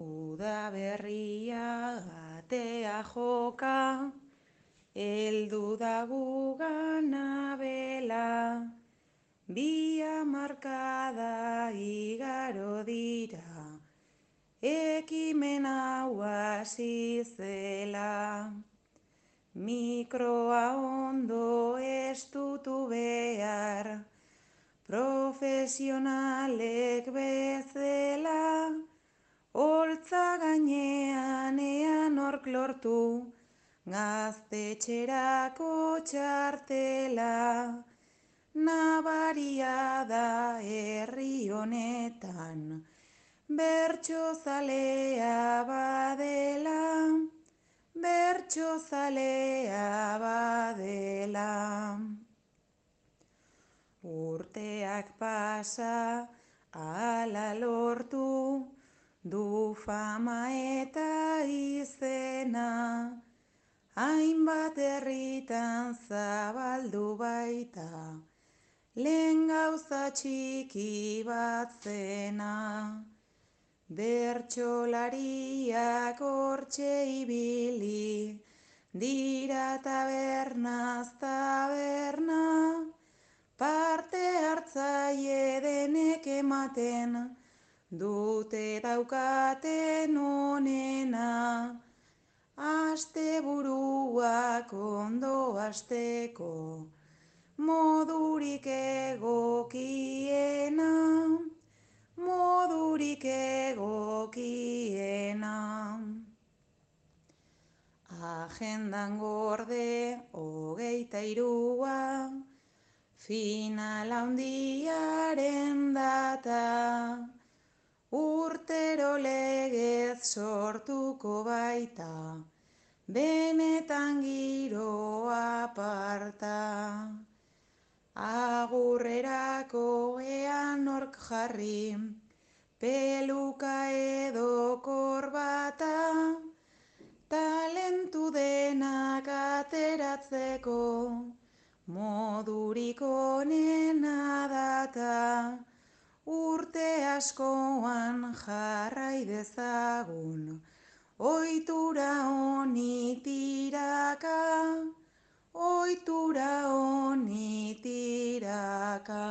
Uda berria atea joka, heldu da gugana bela, bi hamarkada igaro dira, ekimen hau hasi zela. Mikroa ondo estutu behar, profesionalek bezala, holtza gainean ean hork lortu, gaztetxerako txartela. Nabaria da herri honetan, bertsozalea badela, bertsozalea badela. Urteak pasa, ala lortu, du fama eta izena, hainbat herritan zabaldu baita, lehen gauza txiki bat zena. Bertsolariak hortxe ibili, dira tabernaz taberna, parte hartzaile denek ematen, dute daukaten onena. Asteburuak ondo hasteko, modurik egokiena, modurik egokiena. Agendan gorde 23, final handiaren data, urtero legez sortuko baita, benetan giro aparta. Agurrerako ean hork jarri, peluka edo korbata, talentu denak ateratzeko, modurik onena data. Urte askoan jarrai dezagun, ohitura honi tiraka, ohitura honi tiraka.